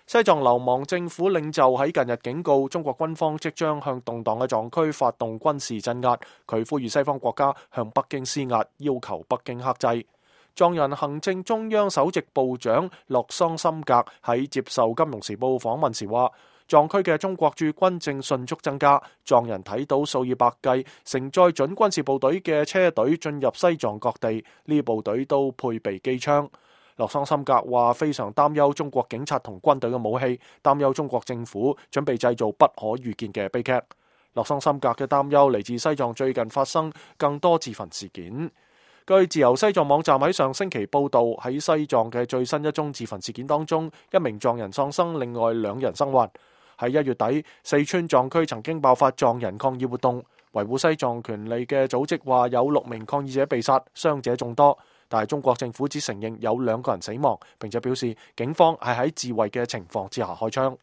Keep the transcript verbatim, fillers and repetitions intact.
西藏流亡政府領袖喺近日警告中國軍方即將向動盪嘅藏區發動軍事鎮壓，佢呼籲西方國家向北京施壓，要求北京克制。藏人行政中央首席部長洛桑森格喺接受《金融時報》訪問時話，藏區嘅中國駐軍正迅速增加，藏人睇到數以百計承載準軍事部隊嘅車隊進入西藏各地，呢部隊都配備機槍。洛桑森格話非常擔憂中國警察同軍隊嘅武器，擔憂中國政府準備製造不可預見嘅悲劇。洛桑森格嘅擔憂嚟自西藏最近發生更多自焚事件。據自由西藏網站喺上星期報道，喺西藏嘅最新一宗自焚事件當中，一名藏人喪生，另外兩人生還。喺一月底，四川藏區曾經爆發藏人抗議活動，維護西藏權利嘅組織話有六名抗議者被殺，傷者眾多。但係中國政府只承認有兩個人死亡，並且表示警方係喺自衛嘅情況之下開槍。